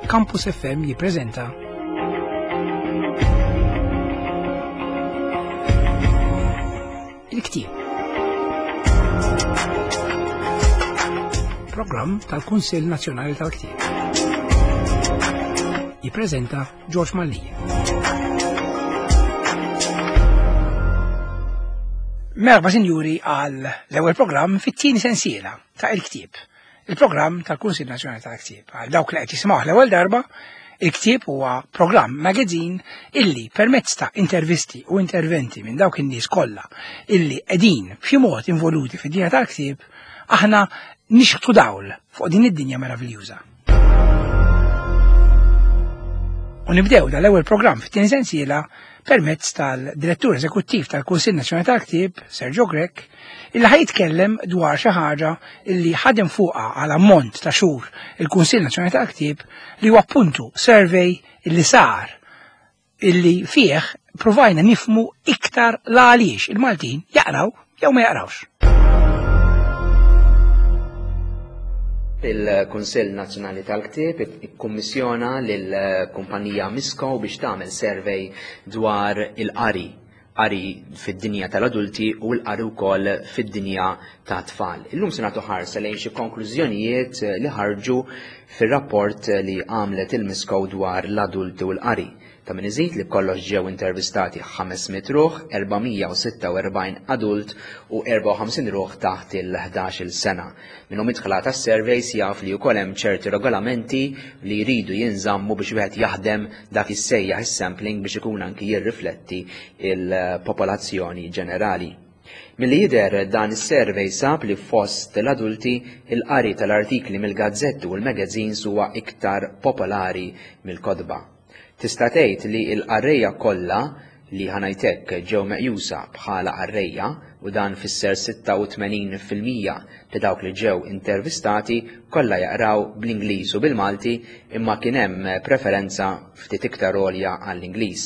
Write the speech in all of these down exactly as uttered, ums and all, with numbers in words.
Campus F M jippreżenta Il-Ktieb. Programm tal-Kunsill Nazzjonali tal-Ktieb. Jippreżenta George Mallia. Merħba sinjuri għal l-ewwel programm fit-tieni sensiela ta' Il-Ktieb. Il-programm tal-Kunsill Nazzjonali tal-Ktieb. Għal dawk li qed jisimgħu l-ewwel darba, Il-Ktieb huwa programm magazine illi permezz ta' intervisti u interventi minn dawk in-nies kollha illi qegħdin b'xi mod involuti fid-dinja tal-ktieb, aħna nixħtu dawl fuq din id-dinja meraviljuża. U nibdew dal-ewwel programm fit-tieni sensiela permezz tal-Direttur Eżekuttiv tal-Kunsill Nazzjonali tal-Ktieb, Sergio Grech, illi ħaj jitkellem dwar xi ħaġa illi ħadem fuqha għal ammont ta' xhur il-Kunsill Nazzjonali tal-Ktieb, li huwa appuntu survey illi sar illi fih provajna nifmu iktar la għaliex il-Maltin jaqraw jew ma jaqrawx. Il-Kunsill Nazzjonali tal-Ktieb ikkummissjona lill-kumpanija Misco biex tagħmel survey dwar il-qari, qari fid-dinja tal-adulti u l-qari wkoll fid-dinja ta' tfal. Illum se nagħtu ħarsa lejn xi konklużjonijiet li ħarġu fir-rapport li għamlet il-Misco dwar l-adulti u l-qari. Ta' min iżid li b'kollox ġew intervistati ħames mitt ruħ, erba' mija u sitta u erbgħin adult u erbgħa u ħamsin ruħ taħt il-ħdax-il sena. Minnhom idħla tas-surveys jaf li wkoll hemm ċerti regolamenti li jridu jinżammu biex wieħed jaħdem dak issejjaħ is-sampling biex ikun anki jirrifletti il-popolazzjoni ġenerali. Milli jidher dan is-survey sab li fost l-adulti il-qari tal-artikli mill-gazzetti u l-magazines huwa iktar popolari mill-kotba. Tista' tgħid li l-qarrejja kollha li ħanajtek ġew meqjusa bħala qarrejja, u dan fisser sitta u tmenin fil-mija ta' dawk li ġew intervistati kollha jaqraw bl-Ingliż u bil-Malti, imma kien hemm preferenza ftit iktar għolja għall-Ingliż.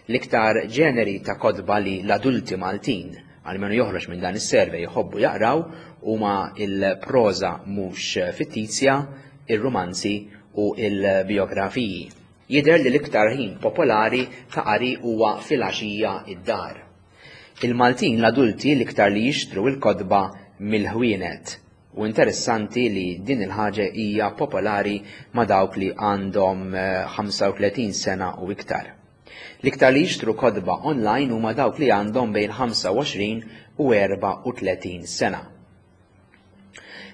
L-iktar ġeneri ta' kotba li l-adulti Maltin, għalmenu joħroġ minn dan is-survey, jħobbu jaqraw huma il-proża mhux fittizja, ir-romanzi u il-biografiji. Jidher li l-iktar ħin popolari ta' qari huwa filgħaxija id-dar. Il-Maltin l-adulti l-iktar li jixtru l-kotba mill-ħwienet, u interessanti li din il-ħaġa hija popolari ma' dawk li għandhom, eh, ħamsa u tletin sena u iktar. L-iktar li jixtru kotba online huma dawk li għandhom bejn ħamsa u għoxrin u erbgħa u tletin sena.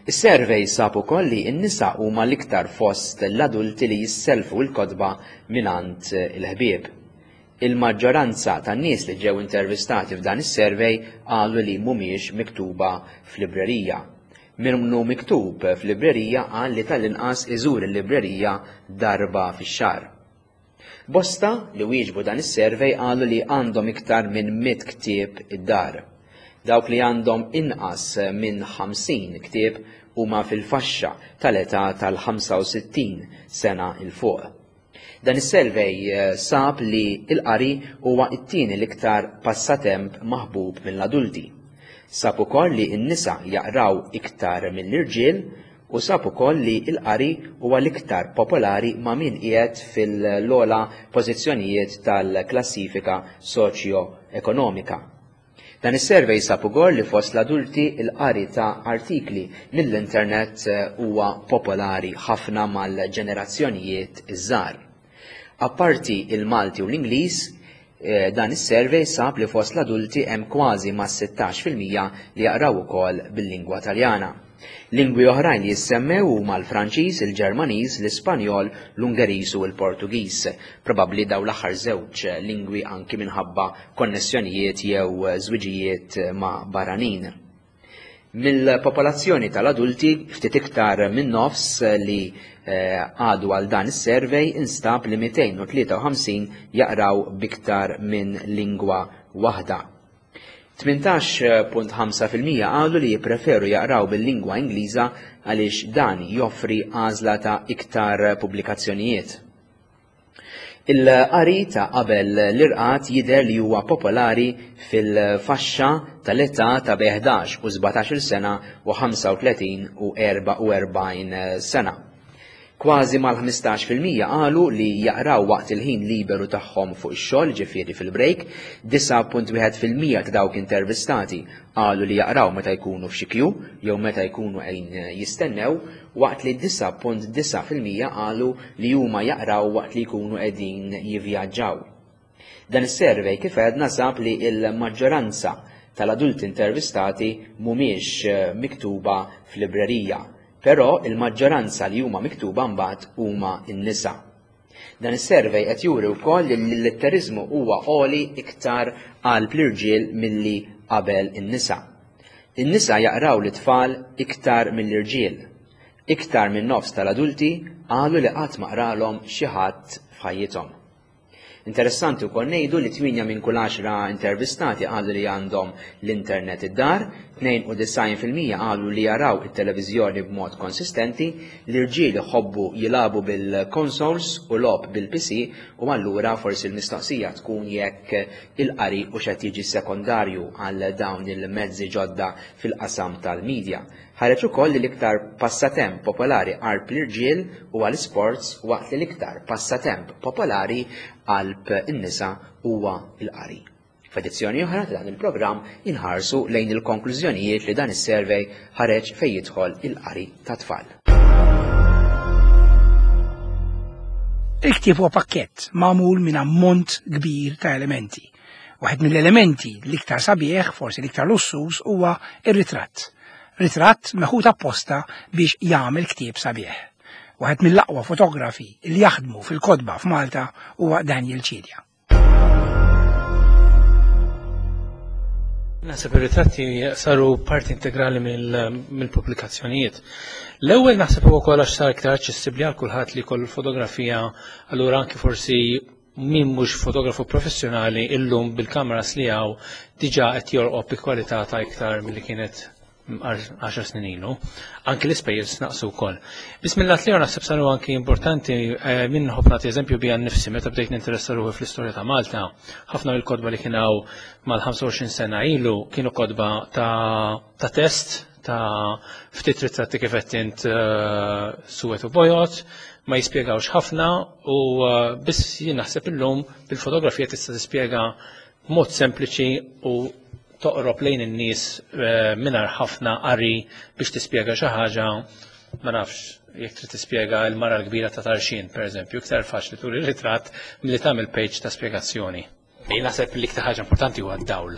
Is-survey sab ukoll li n-nisa huma l-iktar fost l-adulti li jisselfu l-kotba mingħand il-ħbieb. Il-maġġoranza tan-nies li ġew intervistati f'dan is-survey qalu li mhumiex miktuba f'librerija. Min hu miktub f'librerija qal li tal-inqas iżur il-librerija darba fix-xahar. Bosta li wieġbu dan is-survey qalu li għandhom iktar minn mitt ktieb id-dar. Dawk li għandhom inqas minn ħamsin ktieb huma fil-faxxa tal-età tal-ħamsa u sittin sena il fuq. Dan is-survey, eh, sab li l-qari huwa t-tieni l-iktar passatemp maħbub mill-adulti. Sab ukoll li n-nisa jaqraw iktar mill-irġiel u sab ukoll li l-qari huwa l-iktar popolari ma' min qiegħed fil-ogħla pożizzjonijiet tal-klassifika soċjo-ekonomika. Dan is-survey sab ukoll li fost l-adulti l-qari ta' artikli mill-internet, eh, huwa popolari ħafna mal-ġenerazzjonijiet iż-żgħar. Apparti il-Malti u l-Ingliż, eh, dan is-survey sab li fost l-adulti hemm kważi ma' sittax fil-mija li jaqraw ukoll bil-lingwa Taljana. Lingwi oħrajn li jissemmew huma l-Franċiż, il-Ġermaniż, l-Ispanjol, l-Ungeriż u l-Portugiż. Probabbli dawn l-aħħar żewġ lingwi anki minħabba konnessjonijiet jew żwiġijiet ma' barranin. Mill-popolazzjoni tal-adulti ftit iktar minn nofs li, eh, għadu għal dan is-survey instab li mitejn u tlieta u ħamsin jaqraw biktar minn lingwa waħda. Tmintax punt ħamsa fil-mija qalu li jippreferu jaqraw bil-lingwa Ingliża għaliex dan joffri għażla ta' iktar pubblikazzjonijiet. Il-qari ta' qabel l-irqad jidher li huwa popolari fil-faxxa tal-età ta' bejn ħdax u sbatax-il sena u ħamsa u tletin u erbgħa u erbgħin sena. Kważi mal-ħmistax fil-mija qalu li jaqraw waqt il-ħin liberu tagħhom fuq ix-xogħol, ġifieri fil-break, disgħa punt wieħed fil-mija ta' dawk intervistati qalu li jaqraw meta jkunu f'xi kju jew meta jkunu qegħdin jistennew, waqt li disgħa punt disgħa fil-mija qalu li huma jaqraw waqt li jkunu qegħdin jivvjaġġaw. Dan is-survey kif għedna sab li l-maġġoranza tal-adulti intervistati mhumiex miktuba f'librerija, però il-maġġoranza li huma miktuba mbagħad huma n-nisa. Dan is-survey qed juri wkoll li l-litteriżmu huwa għoli iktar qalb l-irġiel milli qabel in-nisa. In-nisa jaqraw l-itfal iktar mill-irġiel. Iktar minn nofs tal-adulti qalu li qatt ma qralhom xi ħadd f'ħajjithom. Interessanti wkoll ngħidu li tmienja minn kull għaxra intervistati qalu li għandhom l-internet id-dar, tnejn u disgħin fil-mija qalu li jaraw it-televiżjoni b'mod konsistenti, l-irġiel iħobbu jilagħbu bil-consoles u logħob bil-P C, u allura forsi l-mistoqsija tkun jekk il-qari u x'qed jiġi sekondarju għal dawn il-mezzi ġodda fil-qasam tal-medja. Ħareġ ukoll li l-iktar passatemp popolari qalb l-irġiel huwa l-sports, waqt li l-iktar passatemp popolari qalb in-nisa huwa l-qari. F'edizzjoni oħra ta' dan il-programm inħarsu lejn il-konklużjonijiet li dan is-survey ħareġ fejn jidħol il-qari ta' tfal. Il-ktieb huwa pakkett magħmul minn ammont kbir ta' elementi. Waħed mill-elementi l-iktar sabiħ, forsi l-iktar lussuż, huwa ir-ritratt. Ritratt meħud apposta biex jagħmel ktieb sabiħ. Waħed mill-aqwa fotografi li jaħdmu fil-kotba f'Malta huwa Daniel Cilia. Naħseb ir-ritratti saru parti integrali mill-pubblikazzjonijiet. L-ewwel naħseb huwa wkoll għax sar iktar aċċessibbli għal kulħadd li jkollu l-fotografija, allura anki forsi min mhux fotografu professjonali illum bil-kameras li hawn diġà qed jorqob bi kwalità ta' iktar milli kienet għaxar snin ilu. Anki l-ispejjeż naqsu wkoll. Biss mill-lat li naħseb saru anki importanti, eh, minn nħobb nagħti eżempju bija nnifsi meta bdejt ninteressa ruħi fl-istorja ta' Malta, ħafna mill-kotba li kien hawn mal-ħamsa u għoxrin sena ilu kienu kotba ta', ta' test, ta' ftit ritratti kif qed int, eh, suwed u bojod, ma jispjegawx ħafna u, eh, biss jien naħseb illum bil-fotografija tista' tispjega b'mod sempliċi u toqrob lejn in-nies, eh, mingħajr ħafna qari biex tispjega xi ħaġa, ma nafx, jekk trid tispjega l-mara l-kbira ta' Tarxien, pereżempju, iktar faċli turi ritratt milli tagħmel page ta' spjegazzjoni. Jien naħseb li l-iktar ħaġa importanti huwa d-dawl.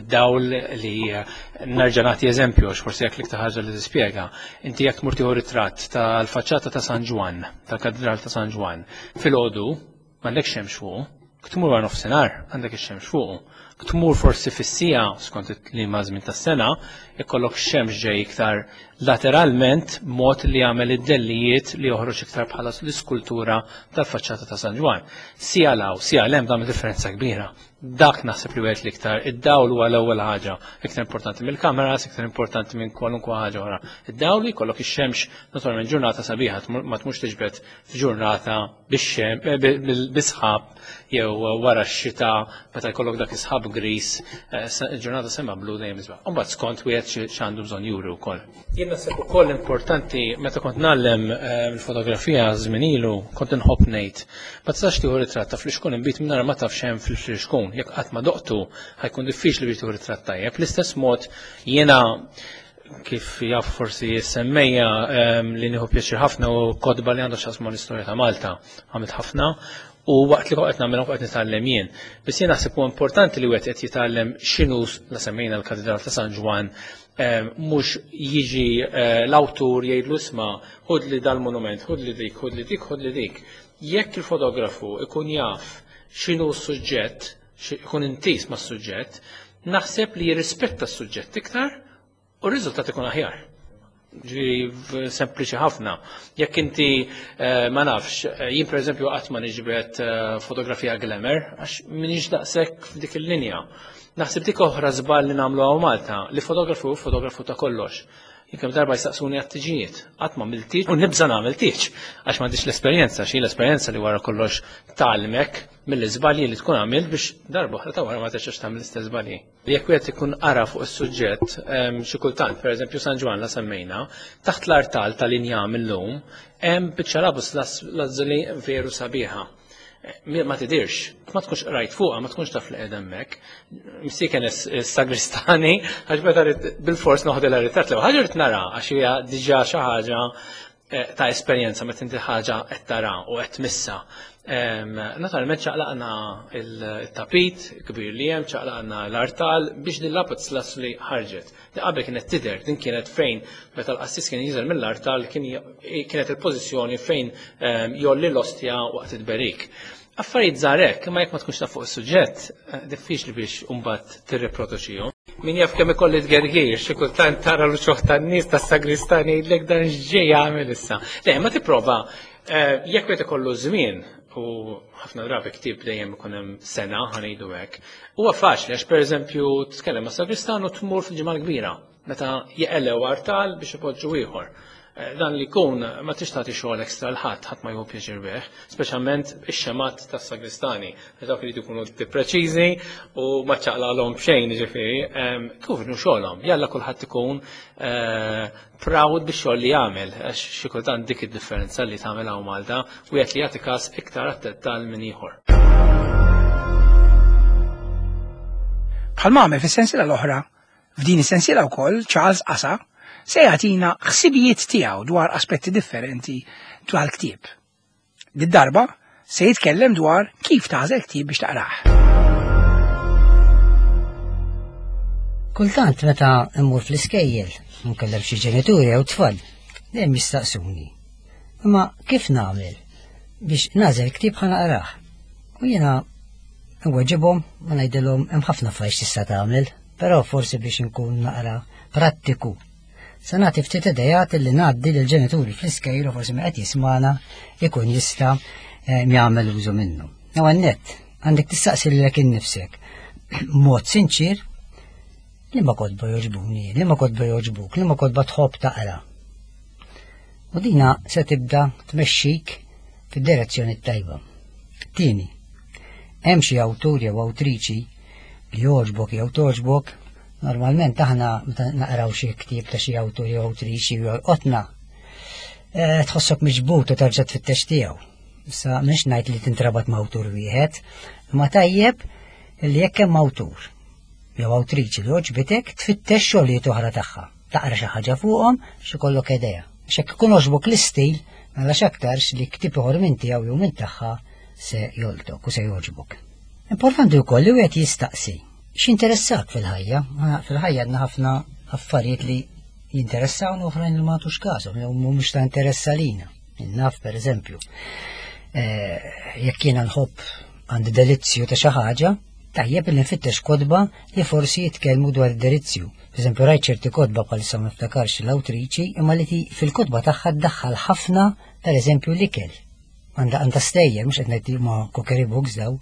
Id-dawl li, eh, nerġa' nagħti eżempju għax forsi jekk l-iktar ħaġa li tispjega. Inti jekk tmur tieħu ritratt tal-faċċata ta' San Ġwann, tal-Katedral ta' San Ġwann, filgħodu m'għandekx xemx fuqu, tmur wara nofsinhar għandek ix-xemx fuqu. Tmur forsi fis-sija skont il-klima żmien tas-sena, ikollok xemx ġej iktar lateralment mod li jagħmel id-dellijiet li joħroġ iktar bħala l-iskultura tal-faċċata ta' San Ġwann. Sija law, sija lem tagħmel differenza kbira. Dak naħseb li wieħed l-iktar, id-dawl huwa l-ewwel ħaġa, iktar importanti mill-kameras, iktar importanti minn kwalunkwe ħaġa oħra. Id-dawl li jkollok ix-xemx naturalment ġurnata sabiħa, tmur-, ma tmurx tiġbed f'ġurnata bix-xem-, eh, bi-, bil-, bisħab jew wara x-xita meta jkollok dak is-sħab gris, eh, sa-, ġurnata sema blu dejjem isbaħ. U mbagħad skont wieħed xi-, x'għandu bżonn juri wkoll. Jien naħseb ukoll importanti meta kont ngħallem, eh, il-fotografija żmien ilu, kont inħobb ngħid, ma tistax tieħu ritratt ta' flixkun inbid mingħajr ma taf x'hemm fil-flixkun. Jekk qatt ma doqtu ħajkun diffiċli biex tieħu ritratt tajjeb. L-istess mod jiena kif jaf forsi semmejja, ehm, li nieħu pjaċir ħafna u kotba li għandu x'jaqsmu l-istorja ta' Malta, għamilt ħafna u waqt li qed nagħmel qed nitgħallem jien. Biss jien naħseb huwa importanti li wieħed qed jitgħallem x'inhu la semmejna l-Katedral ta' San Ġwann, ehm, mhux jiġi, eh, l-awtur jgħidlu isma' ħud li dal-monument, ħud li dik, ħud li dik, ħud li dik. Jekk il-fotografu ikun jaf x'inhu s-suġġett, xi-, ikun intis mas-suġġett, naħseb li jirrispetta s-suġġett iktar u r-riżultat ikun aħjar. Ġifieri sempliċi ħafna. Jekk inti, eh, ma nafx, eh, jien pereżempju qatt ma niġbed, eh, fotografija glamour għax m'iniex daqshekk f'dik il-linja. Naħseb dik oħra żball li nagħmlu hawn Malta, li fotografu hu fotografu ta' kollox. Jien kemm darba jistaqsuni għat-tiġijiet, qatt ma għamilt tieġ u nibża' nagħmel tieġ għax m'għandix l-esperjenza, xi l-esperjenza li wara kollox tgħallmek mill-iżbalji li tkun għamilt biex darba oħra ta' wara ma terġax tagħmel l-istess żbalji. Jekk wieħed ikun qara fuq is-suġġett, xi kultant, pereżempju San Ġwann la semmejna, taħt l-artal tal-injam illum hemm biċċa lapis lazuli veru sabiħa. Ma tidirx, ma tkunx rajt fuqha, ma tkunx taf li qiegħda hemmhekk. Missieken is-sagristani, għax meta bil-fors noħodilha ritratt l ħaġa rrid nara għax hija diġà xi ħaġa ta' esperjenza meta inti ħaġa qed tara u qed tmissa. Naturalment ċaqlaqna il-tapit kbir li hemm, ċaqlaqna l-artal biex din lapis lazuli ħarġet. Di qabel kienet tidher, din kienet fejn meta l-qassis kien jinżel mill-artal kienet il-pożizzjoni fejn jolli l-ostja waqt it-berik. Affarijiet żgħar hekk, imma jekk ma tkunx taf fuq is-suġġett, diffiċli biex imbagħad tirriproduċihom. Min jaf kemm ikolli tgergir, xi kultant tara l-uċuħ tan-nies tas-sagristani jgħidlek dan x'ġej jagħmel issa. Le, ma tipprova, jekk wieħed ikollu żmien, u ħafna drabi ktieb dejjem ikun hemm sena ħa ngħidu hekk, huwa faċli għax pereżempju tkellem ma' sagristan u tmur fil-ġimgħa l-kbira meta jeqelew artal biex ipoġġu ieħor. Dan li jkun ma tix tagħti xogħol ekstra l ħadd, ħadd ma jieħu pjaċir bih, speċjalment ix-xemat tas-sagristani, dawk li jkunu preċiżi u ma ċaqlalhom b'xejn, jiġifieri, kif inhu xogħolhom, jalla kulħadd ikun proud bix-xogħol li jagħmel, għax xi kultant dik id-differenza li tagħmel hawn Malta, wieħed li jagħti każ iktar għat-dettal minn ieħor. Bħalma għamel fis-sensiela l-oħra, f'din is-sensiela wkoll Charles Asa se jagħtina ħsibijiet tiegħu dwar aspetti differenti dwar ktieb. Did-darba se jitkellem dwar kif tagħżel ktieb biex taqrah. Kultant meta mmur fl-iskejjel, nkellem xi ġenituri jew tfal, dejjem jistaqsuni. Imma kif nagħmel biex nagħżel ktieb ħa naqrah? U jiena nweġibhom u ngħidilhom hemm ħafna affarijiet tista' tagħmel, però forsi biex inkun naqra prattiku. Se nagħti ftit idejat li ngħaddi lill-ġenituri fl-iskejjel u forsi qed jismana ikun jista' jagħmel użu minnu. Ewwel nett, għandek tistaqsi lilek innifsek mod sinċir li ma kotba jogħġbuni, li ma kotba jogħġbuk, li ma kotba tħobb taqra. U dina se tibda tmexxik fid-direzzjoni tajba. Tieni, hemm xi awtur jew awtriċi li jogħġbok jew togħġbok. Normalment aħna meta naqraw xi ktieb ta' xi awtur jew awtriċi jew jolqotna, tħossok miġbut u terġa' tfittex tiegħu. Issa mhix ngħid li tintrabat ma' awtur wieħed, imma tajjeb li jekk hemm awtur jew awtriċi li għoġbitek tfittex xogħlijiet oħra tagħha. Taqra xi ħaġa fuqhom xi jkollok idea. Għax jekk ikun għoġbok l-istil, mela x'aktarx li ktieb ieħor minn tiegħu jew minn tagħha se joltok u se jogħġbok. Importanti wkoll li wieħed jistaqsi x'interessak fil-ħajja? Fil-ħajja għandna ħafna affarijiet li jinteressawna u oħrajn li ma nagħtux każhom jew mhumiex ta' interess għalina. Naf pereżempju, jekk jiena nħobb għandi delizzju ta' xi ħaġa, tajjeb li nfittex kotba li forsi jitkellmu dwar id-delizzju. Pereżempju rajt ċerti kotba bħalissa ma niftakarx l-awtriċi, imma li fil-kotba tagħha ddaħħal ħafna pereżempju l-ikel. Għandha għandha stejjer, mhux qed ngħid ma' cookery books daw,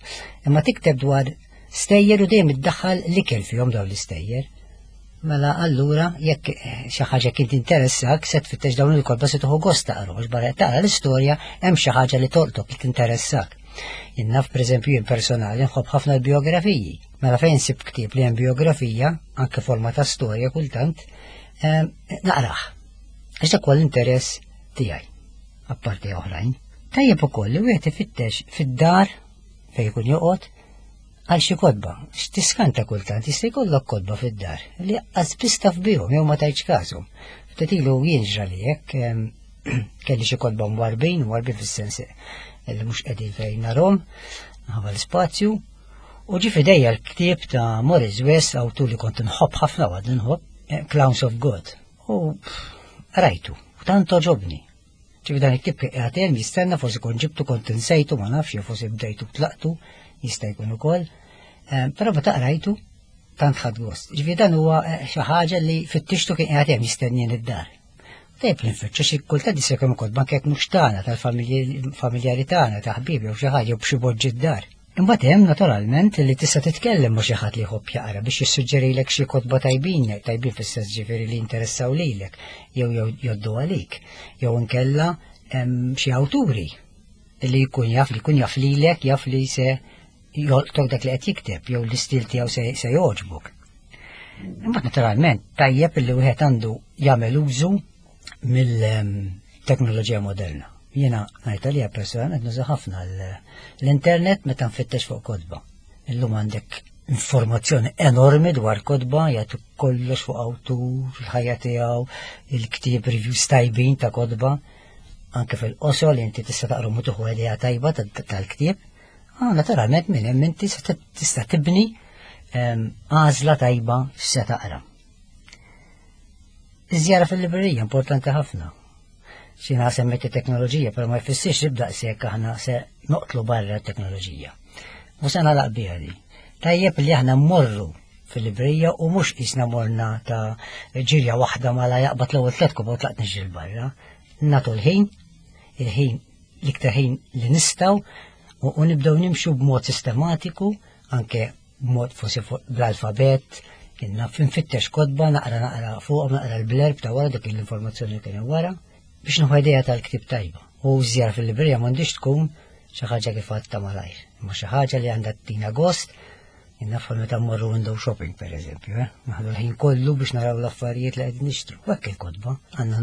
imma tikteb dwar stejjer u dejjem iddaħħal l-ikel fihom dawn l-istejjer. Mela allura jekk xi ħaġa kien tinteressak se tfittex dawn il-kotba se tieħu gost taqra, għax barra taqra l-istorja hemm xi ħaġa li tolqtok li tinteressak. Jien naf pereżempju jien personali nħobb ħafna l-biografiji. Mela fejn nsib ktieb li hemm biografija, anke forma ta' storja kultant, naqrah. Għax dak huwa l-interess tiegħi, apparti oħrajn. Tajjeb ukoll li wieħed ifittex fid-dar fejn ikun joqgħod għal xi kotba, x'tiskanta kultant jista' jkollok kotba fid-dar li qas biss taf bihom jew ma tajtx każhom. Ftit ilu jien ġrali hekk, kelli xi kotba mwarbin, mwarbin fis-sens li mhux qegħdin fejn narhom, minħabba l-ispazju, u ġie f'idejja l-ktieb ta' Maurice West, awtur li kont nħobb ħafna u għadni nħobb, Clowns of God. U rajtu, u tant għoġobni. Ġifieri dan il-ktieb qiegħed hemm jistenna, forsi kont ġibtu, kont insejtu, ma nafx, jew forsi bdejtu tlaqtu, jista' jkun ukoll. Però meta qrajtu tant ħadt gost. Ġifieri dan huwa xi ħaġa li fittixtu kien qiegħed hemm jistennien id-dar. Tajjeb li nfittxu xi kultant jista' jkun ukoll anke jekk mhux tagħna, tal-familjari tagħna, ta' ħbieb jew xi ħaġa jew b'xi boġġi d-dar. Imbagħad hemm naturalment li tista' titkellem ma' xi ħadd li jħobb jaqra biex jissuġġerilek xi kotba tajbin, tajbin fis-sens ġifieri li jinteressaw lilek jew jew jgħoddu għalik, jew inkella hemm xi awturi li jkun jaf li jkun jaf lilek, jaf li se jolqtok dak li qed jikteb jew l-istil tiegħu se, se jogħġbok. Imbagħad naturalment tajjeb li wieħed għandu jagħmel użu mill-teknoloġija moderna. Jiena ngħid għalija personalment nuża ħafna l-internet meta nfittex fuq kotba. Illum għandek informazzjoni enormi dwar kotba, jagħtu kollox fuq awtur, il-ħajja tiegħu, il-ktieb, reviews tajbin ta' kotba, anke fil-qosor li inti tista' taqra u tieħu idea tajba tal-ktieb. Ah, naturalment minn hemm inti tista' tibni għażla tajba x'se taqra. Iż-żjara fil-librerija importanti ħafna. Xina semmet teknoloġija, però ma jfissirx li b'daqshekk aħna se noqtlu barra t-teknoloġija. U se nagħlaq biha di. Tajjeb li aħna mmorru fil-librerija u mhux qisna morna ta' ġirja waħda mala jaqbad l-ewwel tliet kotba u tlaqt niġri barra. Nagħtu l-ħin, il-ħin l-iktar ħin li nistgħu u nibdew nimxu b'mod sistematiku, anke b'mod forsi bl-alfabet, nfittex kotba, naqra naqra fuq, naqra l-blurb ta' wara dik l-informazzjoni li kien wara, biex nieħu idea tal-ktieb tajba. U żjara fil-librerija m'għandix tkun xi ħaġa kif għadta malajr, imma xi ħaġa li għandha tina gost. Nafħol meta mmorru window shopping per eżempju, eh? Naħdu l-ħin kollu biex naraw l-affarijiet li qed nixtru. U hekk il-kotba għandna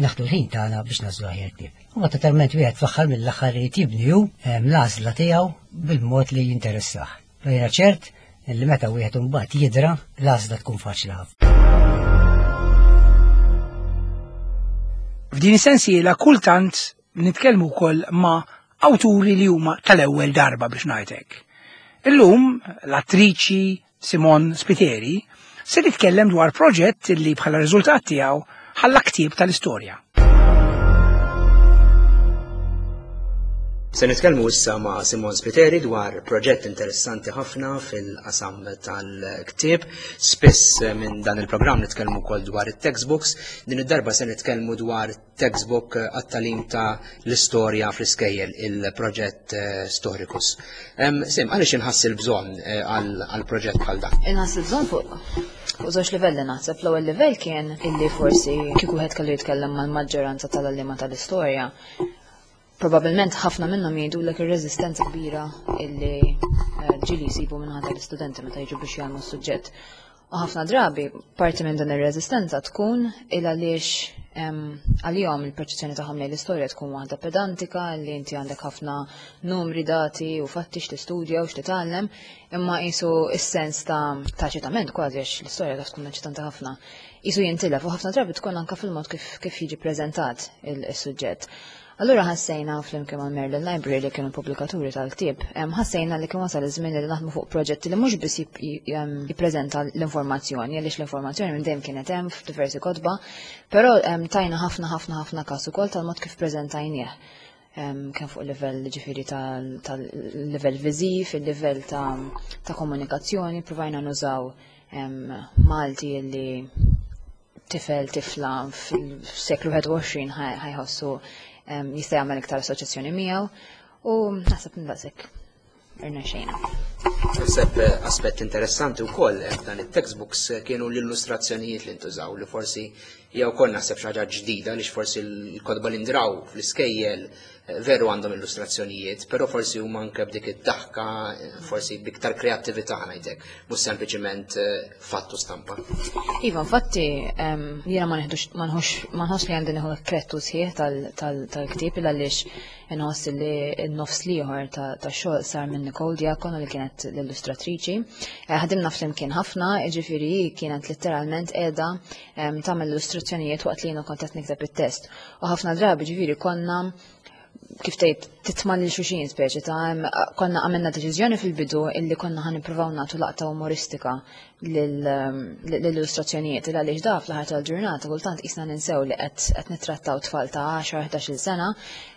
naħdu l-ħin tagħna biex nagħżlu aħjar ktieb. U totalment wieħed fl-aħħar mill-aħħar irid jibni hu l-għażla tiegħu bil-mod li jinteressah. Jiena ċert li meta wieħed imbagħad jidra l-għażla tkun faċli ħafna. F'din is-sensiela kultant nitkellmu wkoll ma' awturi li huma tal-ewwel darba biex ngħidlek. Illum l-attriċi Simone Spiteri se titkellem dwar proġett li bħala riżultat tiegħu ħalla ktieb tal-istorja. Se nitkellmu issa ma' Simone Spiteri dwar proġett interessanti ħafna fil-qasam tal-ktieb. Spiss minn dan il-programm nitkellmu wkoll dwar it-textbooks. Din id-darba se nitkellmu dwar textbook għat-tagħlim ta' l-istorja fl-iskejjel, il-proġett Storicus. Sim, għaliex inħass il-bżonn għal proġett bħal dan? Inħass il-bżonn fuq fuq żewġ livelli naħseb. L-ewwel livell kien illi forsi kieku wieħed kellu jitkellem mal-maġġoranza tal-għalliema tal-istorja, probabilment ħafna minnhom jgħidulek ir-reżistenza kbira illi ġieli jsibu minn ħadd l-istudenti meta jiġu biex jagħmlu s-suġġett. U ħafna drabi parti minn dan ir-reżistenza tkun il għaliex għalihom il-perċezzjoni tagħhom lejn l-istorja tkun waħda pedantika li inti għandek ħafna numri, dati u fatti x'tistudja u x'titgħallem, imma qisu s-sens ta' eċitament kważi għax l-istorja taf tkun eċitanti ħafna. Qisu jintilef u ħafna drabi tkun anke fil-mod kif kif jiġi preżentat il-suġġett. Allura ħassejna flimkien mal Merlin Library li kienu pubblikaturi tal-ktieb, ħassejna li kien wasal iż-żmien li naħdmu fuq proġetti li mhux biss jippreżenta l-informazzjoni, għaliex l-informazzjoni minn dejjem kienet hemm f'diversi kotba, però tajna ħafna ħafna ħafna każ ukoll tal-mod kif preżentajnieh. Kien fuq livell ġifieri tal-livell viżiv, il-livell ta' komunikazzjoni, provajna nużaw Malti li tifel tifla fil-seklu wieħed u għoxrin ħajħossu jista' jagħmel iktar assoċjazzjoni miegħu u naħseb ndaqshekk irnexxejna. Naħseb aspett interessanti wkoll f'dan it-textbooks kienu l-illustrazzjonijiet li ntużaw li forsi jew ukoll naħseb xi ħaġa ġdida għaliex forsi l-kotba li ndraw fl-iskejjel veru għandhom illustrazzjonijiet, però forsi huma anke b'dik id-daħka, forsi b'iktar kreattività ngħidlek, mhux sempliċiment fattu stampa. Iva, infatti jiena ma neħdux ma nħoss li għandi nieħu krettu sħiħ tal-ktieb għaliex inħoss li n-nofs l-ieħor tax-xogħol sar minn Nicole Diacono li kienet l-illustratriċi. Ħadimna flimkien ħafna, jiġifieri kienet letteralment qiegħda tagħmel illustrazzjonijiet waqt li jiena kont qed nikteb it-test. U ħafna drabi ġifieri konna kif tgħid titma' lil xulxin speċi ta' konna għamilna deċiżjoni fil-bidu illi konna ħa nippruvaw nagħtu laqta umoristika lill-illustrazzjonijiet il għaliex da fl-aħħar tal-ġurnata kultant qisna ninsew li qed nittrattaw tfal ta' għaxar ħdax-il sena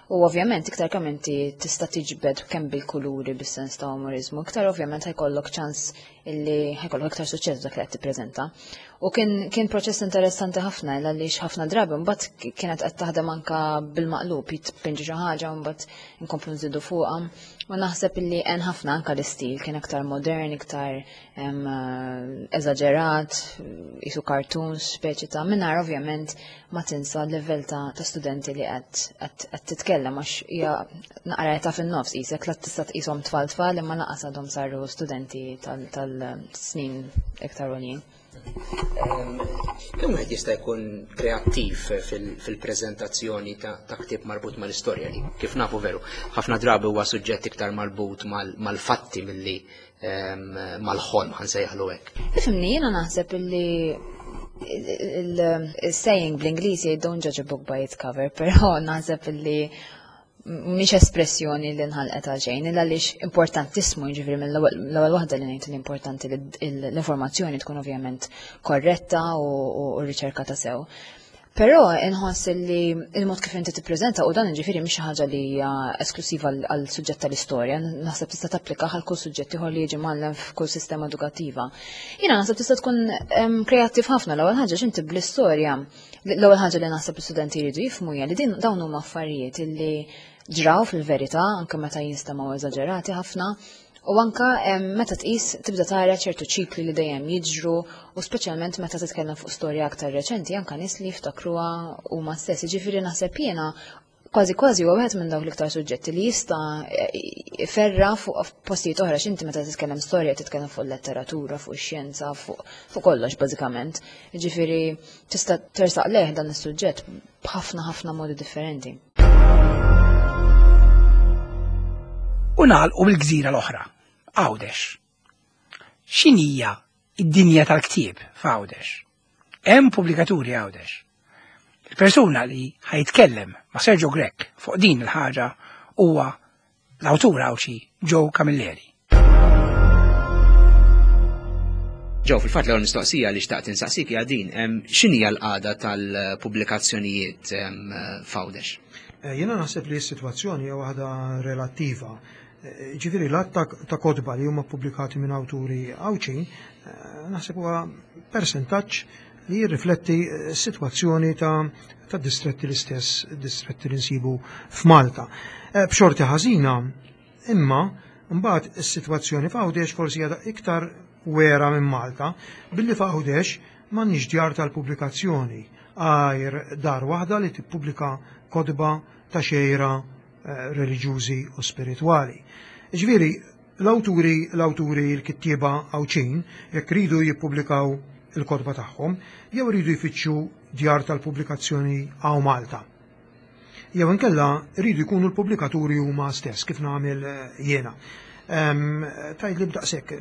u ovvjament iktar kemm inti tista' tiġbed kemm bil-kuluri bis-sens ta' umorizmu, iktar ovvjament ħajkollok ċans illi ħajkollok iktar suċċess dak li qed tippreżenta. U kien kien proċess interessanti ħafna għaliex ħafna drabi mbagħad kienet qed taħdem anka bil-maqlub, jitpinġi xi ħaġa u mbagħad nkomplu nżidu fuqha. U naħseb illi hemm ħafna anka l-istil kien aktar modern, iktar eżaġerat, isu cartoons, speċi ta' mingħajr ovvjament ma tinsa l-level ta' studenti li qed titkellem għax hija naqra ta' fin-nofs qisek la tista' tqishom tfal tfal imma lanqas għadhom saru studenti tal-snin iktar għoljin. Kemm wieħed jista' jkun kreattiv fil-preżentazzjoni ta' ktieb marbut mal-istorja li kif nafu veru ħafna drabi huwa suġġett iktar marbut mal-fatti milli mal-ħolm ħa nsejjaħlu hekk. Ifhimni, jiena naħseb illi il-saying bl-Ingliż jgħid don't judge a book by its cover, però naħseb illi mhix espressjoni li nħalqet għal xejn, illa għaliex importantissimu, jiġifieri mill-ewwel waħda li ngħid li importanti li l-informazzjoni tkun ovvjament korretta u riċerkata sew. Però inħoss li il-mod kif inti tippreżenta u dan jiġifieri mhix xi ħaġa li hija esklusiva għal suġġett tal-istorja, naħseb tista' tapplika għal kull suġġett ieħor li jiġi mgħallem f'kull sistema edukattiva. Jiena naħseb tista' tkun kreattiv ħafna. L-ewwel ħaġa x'inti bl-istorja, l-ewwel ħaġa li naħseb l-istudenti jridu jifhmu hija li din dawn huma affarijiet illi ġraw fil-verità anke meta jinstemgħu eżaġerati ħafna. U anka meta tqis tibda tara ċertu ċikli li dejjem jiġru u speċjalment meta titkellem fuq storja aktar reċenti anka nies li jiftakruha huma stess. Jiġifieri naħseb jiena kważi kważi huwa wieħed minn dawk l-iktar suġġetti li jista' iferra fuq postijiet oħra x'inti meta titkellem storja titkellem fuq letteratura, fuq ix-xjenza, fuq kollox bażikament. Jiġifieri tista' tersaq lejh dan is-suġġett b'ħafna ħafna modi differenti. U nagħlqu bil-gżira l-oħra, Għawdex. X'inhija id-dinja tal-ktieb f'Għawdex? Hemm pubblikaturi Għawdex. Il-persuna li ħajtkellem ma' Sergio Grech fuq din il-ħaġa huwa l-awtur Għawdxi Joe Camilleri. Joe, fil-fatt l-ewwel mistoqsija li xtaqt insaqsik hija din, x'inhija l-qagħda tal-pubblikazzjonijiet f'Għawdex? Jiena naħseb li s-sitwazzjoni hija waħda relattiva. Ġifieri l-għadd ta' kotba li huma ppubblikati minn awturi Għawdxin, naħseb huwa persentaġġ li jirrifletti s-sitwazzjoni ta' distretti l-istess distretti li nsibu f'Malta. B'xorti ħażina, imma mbagħad is-sitwazzjoni f'Għawdex forsi hija iktar wera minn Malta, billi f'Għawdex m'għandniex djar tal-pubblikazzjoni għajr dar waħda li tippubblika kotba ta' xejra reliġjużi u spiritwali. Ġifieri, l-awturi, l-awturi l-kittieba Għawdxin, jekk ridu jippubblikaw il-kotba tagħhom, jew ridu jfittxu djar tal-pubblikazzjoni hawn Malta. Jew inkella ridu jkunu l-pubblikaturi huma stess, kif nagħmel jiena. Tgħid li b'daqshekk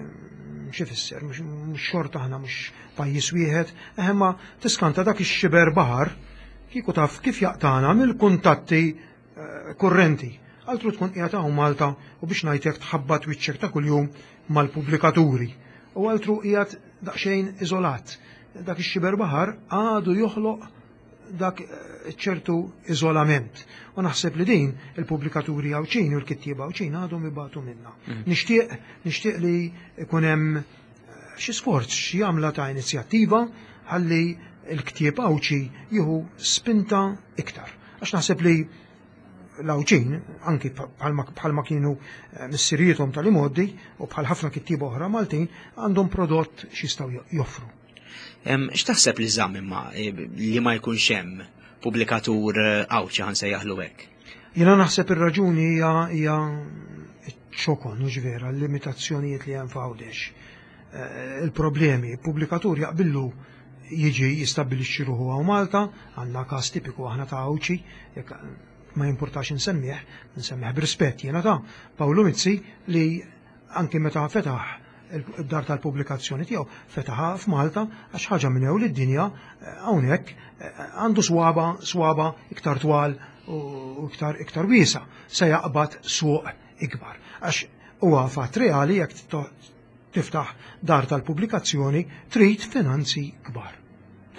xi fisser, mhux xorta aħna mhux pajjiż wieħed, imma tiskanta dak ix-xiber baħar kieku taf kif jaqtana mill-kuntatti kurrenti. Altru tkun qiegħed hawn Malta u biex ngħidlek tħabbat wiċċek ta' kuljum mal-pubblikaturi. U altru qiegħed daqsxejn iżolat. Dak ix-xiber baħar għadu joħloq dak ċertu iżolament. U naħseb li din il-pubblikaturi Għawdxin u l-kittieba Għawdxin għadhom ibatu minna. Nixtieq, nixtieq li jkun hemm xi sforz, xi għamla ta' inizjattiva ħalli l-ktieb Għawdxi jieħu spinta iktar. Għax naħseb li l-Għawdxin, anki bħalma kienu missiriethom tal-imgħoddi u bħal ħafna kittieba oħra Maltin, għandhom prodott x'jistgħu joffru. X'taħseb li żamm imma li ma jkunx hemm pubblikatur Għawdxi ħa nsejjaħlu hekk? Jiena naħseb ir-raġuni hija hija ċokon, mhux vera, l-limitazzjonijiet li hemm f'Għawdex. Il-problemi, il-pubblikatur jaqbillu jiġi jistabbilixxi ruħu hawn Malta, għandna każ tipiku aħna ta' Għawdxi, jekk ma jimpurtax insemmih, insemmih b'rispett jiena ta' Pawlu Mizzi li anki meta fetaħ id-dar tal-pubblikazzjoni tiegħu fetaħha f'Malta għax ħaġa minn ewl id-dinja hawnhekk għandu swaba, swaba iktar twal u iktar, iktar wiesa se jaqbad suq ikbar. Għax huwa fatt reali jekk tiftaħ dar tal-pubblikazzjoni trid finanzi kbar.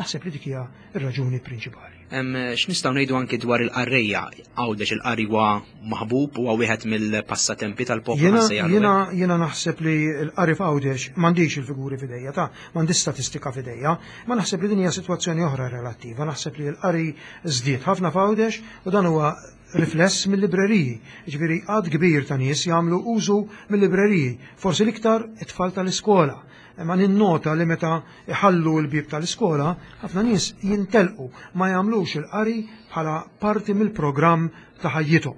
Naħseb li dik hija r-raġuni prinċipali. X'nistgħu ngħidu anki dwar il-qarrejja? Għawdex il-qari huwa maħbub huwa wieħed mill-passatempi tal-poplu Jiena, ħa nsejjaħlu jiena, hekk. jiena naħseb li l-qari f'Għawdex m'għandix il-figuri f'idejja, ta' m'għandix statistika f'idejja, ma naħseb li din hija sitwazzjoni oħra relattiva. Naħseb li l-qari żdied ħafna f'Għawdex u dan huwa rifless mill-libreriji. Ġifieri għadd kbir ta' nies jagħmlu użu mill-libreriji, forsi l-iktar it-tfal tal-iskola. Imma ninnota li meta iħallu l-bieb tal-iskola, ħafna nies jintelqu, ma jagħmlux il-qari bħala parti mill-programm ta' ħajjithom.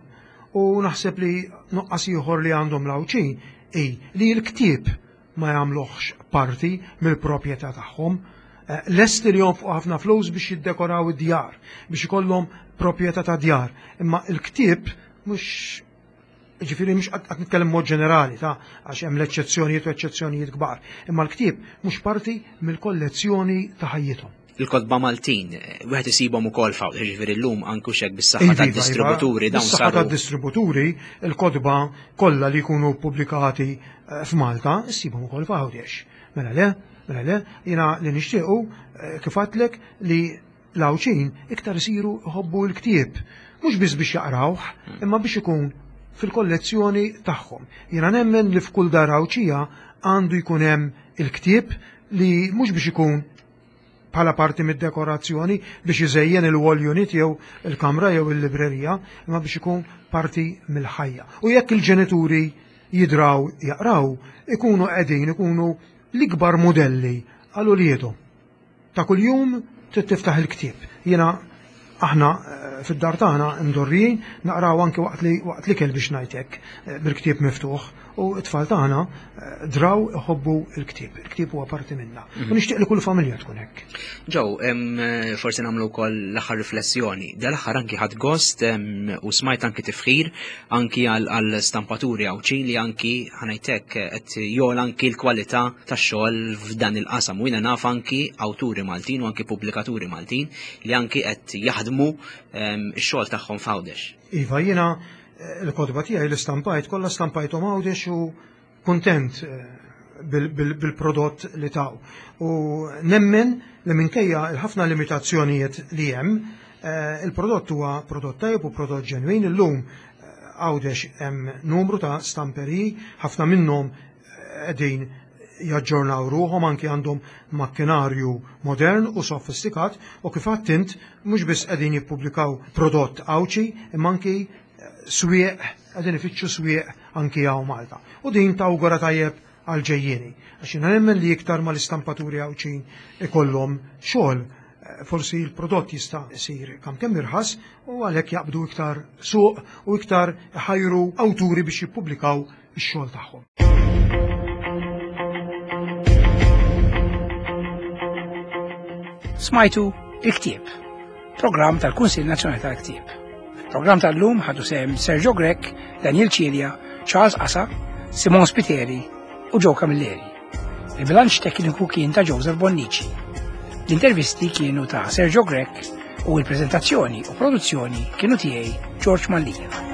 U naħseb li nuqqas ieħor li għandhom l-Għawdxin hi li l-ktieb ma jagħmluhx parti mill-proprjetà tagħhom. Lesti li jonfqu ħafna flus biex jiddekoraw id-djar, biex ikollhom proprjetà ta' djar. Imma l-ktieb mhux, ġifieri mhux qed nitkellem mod ġenerali ta' għax hemm l-eċċezzjonijiet u eċċezzjonijiet kbar. Imma l-ktieb mhux parti mill-kollezzjoni ta' ħajjithom. Il-kotba Maltin, wieħed isibhom ukoll f'Għawdex, ġifieri llum anke hekk bis-saħħa tad-distributuri dawn saru. Bis-saħħa tad-distributuri, il-kotba kollha li jkunu ppubblikati f'Malta issibhom ukoll f'Għawdex. Mela le, mela le, jiena li nixtiequ kif għedtlek li l-Għawdxin iktar isiru jħobbu l-ktieb, mhux biss biex jaqrawh, imma biex ikun fil-kollezzjoni tagħhom. Jiena nemmen li f'kull dar Għawdxija għandu jkun hemm il-ktieb li mhux biex ikun bħala parti mid-dekorazzjoni biex iżejjen il-wall unit jew il-kamra jew il-librerija, imma biex ikun parti mill-ħajja. U jekk il-ġenituri jidraw jaqraw, ikunu qegħdin ikunu l-ikbar modelli għal uliedhom. Ta' kuljum trid tiftaħ il-ktieb. Jiena aħna fid-dar tagħna ndorrijin naqraw anke waqt li waqt l-ikel biex ngħid hekk bil-ktieb miftuħ, u t-tfal tagħna draw iħobbu l-ktieb. Il-ktieb huwa parti minna. U nixtieq li kull familja tkun hekk. Joe, forsi nagħmlu wkoll l-aħħar riflessjoni. Dal-aħħar anki ħadd gost u smajt anki tifħir anki għal stampaturi Għawdxin li anki ħanajtek qed jogħla anki l-kwalità tax-xogħol f'dan il-qasam. U jiena naf anki awturi Maltin u anki pubblikaturi Maltin li anki qed jaħdmu x-xogħol tagħhom f'Għawdex. Iva, jiena l-kotba tiegħi li stampajt kollha stampajthom Għawdex u kuntent bil-prodott li taw. U nemmen li minkejja l-ħafna limitazzjonijiet li hemm, il-prodott huwa prodott tajjeb u prodott ġenwin. Illum Għawdex hemm numru ta' stamperiji, ħafna minnhom qegħdin jaġġornaw ruħhom, anki għandhom makkinarju modern u sofistikat, u kif għedt int mhux biss qegħdin jippubblikaw prodott Għawdxi, imma anki swieq, qegħdin ifittxu swieq anki hawn Malta. U din tawgura tajjeb għal ġejjieni. Għax jiena nemmen li iktar ma l-istampaturi Għawdxin ikollhom xogħol, forsi l-prodott jista' jsir kemm kemm irħas u għalhekk jaqbdu iktar suq u iktar ħajru awturi biex jippubblikaw ix-xogħol tagħhom. Smajtu il-Ktieb, programm tal-Kunsill Nazzjonali tal-Ktieb. Programm tal-lum ħadu sehem Sergio Grech, Daniel Cilia, Charles Asa, Simon Spiteri u Joe Camilleri. Il-bilanċ tekniku kien ta' Joseph Bonnici. L-intervisti kienu ta' Sergio Grech u l-prezentazzjoni u produzzjoni kienu tiegħi George Mallia.